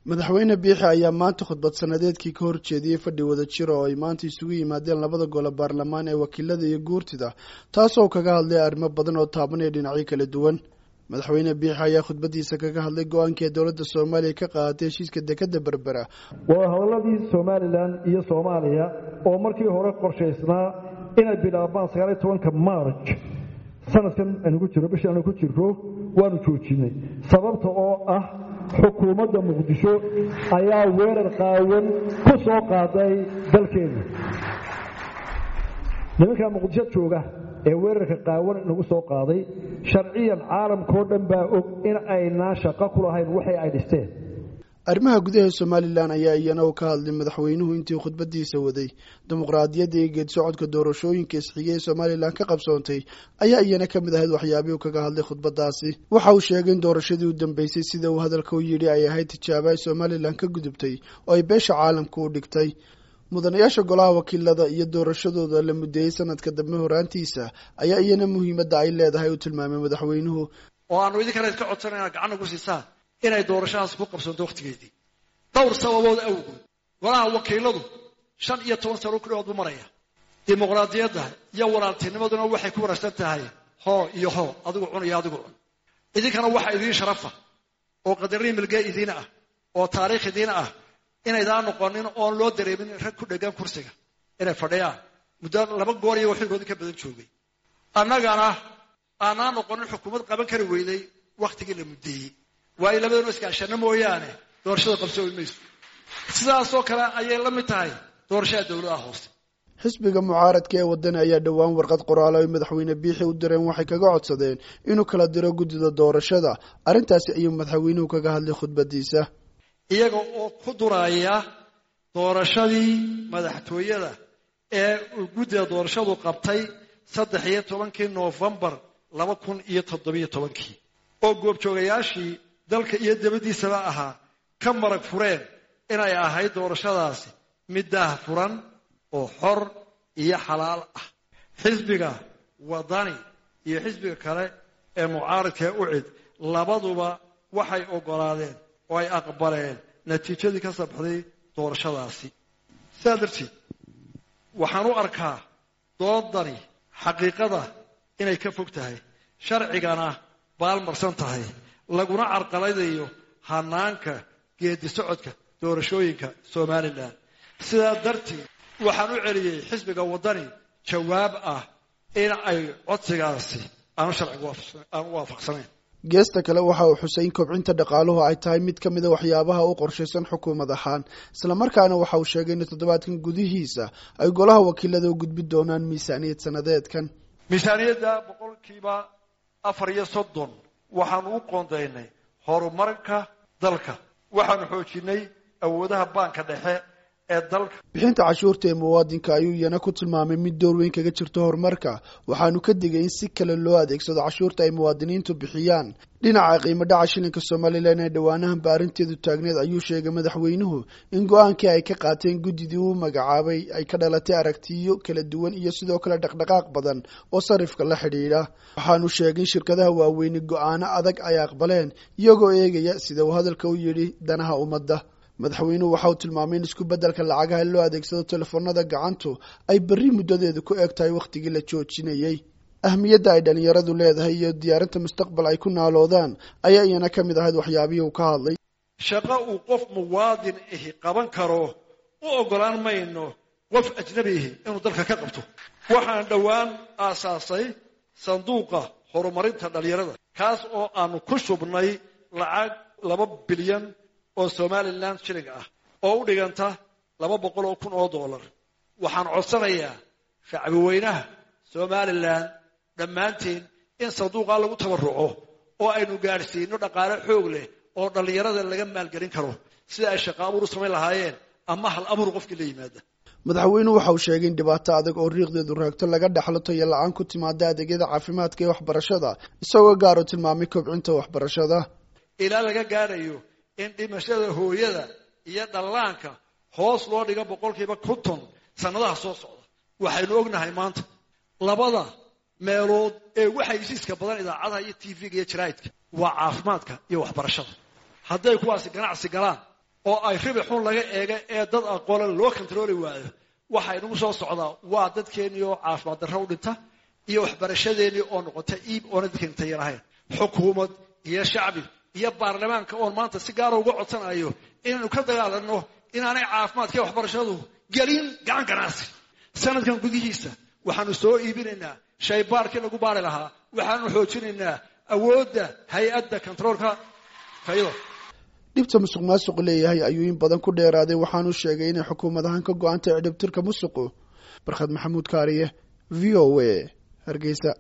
Madaxweyne Biixi ayaa maanta khudbad sanadeedkii ka horjeediyey fadhi wadajir oo ay maanta isugu yimaadeen labada gole baarlamaan ee wakiilada iyo guurtida, taasoo kaga hadlay arrimo badan oo taabanaya dhinacyo kala duwan. Madaxweyne Biixi ayaa khudbadiisa kaga hadlay go-aankii dowladda Soomaaliya ka qaadatay heshiiska dekadda Berbera. Wadahadaladii Somalilan iyo Soomaaliya oo markii hore qorshaysnaa inay bilaabmaan 19-ka Maarj sanadkan aynu ku jirro, bishii aynu ku jirro, waanu joojinay, sababta oo ah xukuumadda Muqdisho ayaa weerar qaawan ku soo qaaday dalkeena. Nimankaa Muqdisho jooga ee weerarka qaawan inagu soo qaaday, sharciyan caalamkao dhan baa og in aynaan shaqo ku lahayn waxay ay dhisteen. Arrimaha gudaha Somalilan ayaa iyana uu ka hadlay madaxweynuhu intii khudbadiisa waday. Dimuqraadiyadda iyo geed socodka doorashooyinka isxigay ee Somalilan ka qabsoontay ayaa iyana ka mid ahayd waxyaabihii uu kaga hadlay khudbadaasi. Waxa uu sheegay in doorashadii u dambeysay, sida uu hadalka u yidhi, ay ahayd tijaabo ay Somalilan ka gudubtay oo ay beesha caalamka u dhigtay. Mudanayaasha golaha wakiilada iyo doorashadooda la mudeeyey sanadka dambe horaantiisa ayaa iyana muhiimadda ay leedahay uu tilmaamay madaxweynuhu. Oo aanu idinkana idka codsanayna gacan nagu siisaan inay doorashadaas ku qabsanto wakhtigeedii, dhowr sababood awgood. Golaha wakiiladu 15 sano ku dhawaad buu maraya. Dimuqraadiyadda iyo walaaltinimaduna waxay ku wanaagsan tahay hoo iyo hoo, adigu cun iyo adigu cun. Idinkana waxa idiin sharafa oo qadarin milgee idiin ah oo taariikh idiin ah inaydaan noqonin oon loo dareemin rag ku dhegan kursiga inay fadhiyaan muddo laba goor iyagoo xilkoodii ka badan joogay. Annagana aanaa noqonin xukuumad qaban kari weyday wakhtigii la muddeeyey, waayo labadanu iskaashano mooyaane doorashada qabsoomi mayso. Sidaasoo kale ayay la mid tahay doorashada dowladaha hoose. Xisbiga mucaaradka ee Wadani ayaa dhowaan warqad qoraalo ay madaxweyne Biixi u direen waxay kaga codsadeen inuu kala diro guddida doorashada. Arrintaasi ayuu madaxweynuhu kaga hadlay khudbadiisa. Iyaga oo ku duraya doorashadii madaxtooyada ee uu guddida doorashadu qabtay 13-kii Noofembar 2017-kii, oo goobjoogayaashii dalka iyo dabaddiisaba ahaa ka marag fureen inay ahayd doorashadaasi mid daah furan oo xor iyo xalaal ah, xisbiga Wadani iyo xisbiga kale ee mucaaradka ee UCID labaduba waxay oggolaadeen oo ay aqbaleen natiijadii ka soo baxday doorashadaasi. Sidaa darteed waxaan u arkaa doodani xaqiiqada inay ka fog tahay, sharcigana baalmarsan tahay, laguna carqaladayo hanaanka geedi socodka doorashooyinka Somalilan. Sidaa darteed waxaan u celiyey xisbiga Waddani jawaab ah in ay codsigaasi aanu sharciga aanu waafaqsanayn. Geesta kale, waxa uu xusay in kobcinta dhaqaaluhu ay tahay mid ka mida waxyaabaha u qorshaysan xukuumad ahaan, islamarkaana waxa uu sheegay in toddobaadkan gudihiisa ay golaha wakiilada u gudbi doonaan miisaaniyad sanadeedkan. Miisaaniyadda 34% waxaanu u qoondaynay horumarka dalka. Waxaanu xoojinay awoodaha baanka dhexe ee dalka. Bixinta cashuurta ee muwaadinka ayuu iyana ku tilmaamay mid door weyn kaga jirto horumarka, waxaanu ka digay in si kale loo adeegsado cashuurta ay muwaadiniintu bixiyaan. Dhinaca qiimo dhaca shilinka Somalilan ee dhowaanahanba arrinteedu taagneed ayuu sheegay madaxweynuhu in go-aankii ay ka qaateen guddidii uu magacaabay ay ka dhalatay aragtiyo kala duwan iyo sidoo kale dhaqdhaqaaq badan oo sarifka la xidhiidha. Waxaanu sheegay in shirkadaha waaweyni go-aano adag ay aqbaleen, iyagoo eegaya, sida uu hadalka u yidhi, danaha ummadda. Madaxweynuhu waxa uu tilmaamay in isku beddelka lacagaha loo adeegsado telefoonada gacantu ay berri muddadeedu ku eg tahay wakhtigii la joojinayey. Ahmiyadda ay dhalinyaradu leedahay iyo diyaarinta mustaqbal ay ku naaloodaan ayaa iyana ka mid ahayd waxyaabihii uu ka hadlay. Shaqo uu qof muwaadin ahi qaban karo u oggolaan mayno qof ajnabi ahi inuu dalka ka qabto. Waxaan dhowaan aasaasay sanduuqa horumarinta dhalinyarada, kaas oo aanu ku shubnay lacag 2 bilyan oo Somalilan shiling ah oo u dhiganta 200,000 oo dollar. Waxaan codsanayaa shacbi weynaha Somalilan dhammaanteen in sanduuqaa lagu tabaruco oo aynu gaadhsiino dhaqaale xoog leh oo dhallinyarada laga maalgelin karo sida ay shaqo abuur u samayn lahaayeen ama hal abuur qofkii la yimaada. Madaxweynuhu waxa uu sheegay in dhibaato adag oo riiqdeedu raagto laga dhaxlo tayo la-aan ku timaada adeegyada caafimaadka iyo waxbarashada, isagoo gaar u tilmaamay kobcinta waxbarashada. Ilaa laga gaadhayo in dhimashada hooyada iyo dhallaanka hoos loo dhigo 50% sannadaha soo socda. Waxaynu ognahay maanta labada meelood ee waxa heshiiska badan idaacadaha iyo TV-ga iyo jaraa'idka waa caafimaadka iyo waxbarashada. Hadday kuwaasi ganacsi galaan Oo ay ribixun laga eega ee dad aqoole loo kontarooli waayo, waxa inagu soo socdaa waa dadkeennii oo caafimaad darro u dhinta iyo waxbarashadeennii oo noqota iib oona dadkeeni tayo lahayn. Xukuumad iyo shacbi iyo baarlamaanka oon maanta si gaara uga codsanayo inaynu ka dagaalanno inaanay caafimaadka iyo waxbarashadu gelin gacan ganacsi. Sanadkan gudihiisa waxaanu soo iibinaynaa shaybaarkii lagu baari lahaa, waxaanu xoojinaynaa awoodda hay-adda kontaroolka tayada. Dhibta musuq maasuqu leeyahay ayuu in badan ku dheeraaday, waxaanu sheegay inay xukuumad ahaan ka go-antay cidhibtirka musuqu. Barkhad Maxamuud Kaariye, VOA, Hargeysa.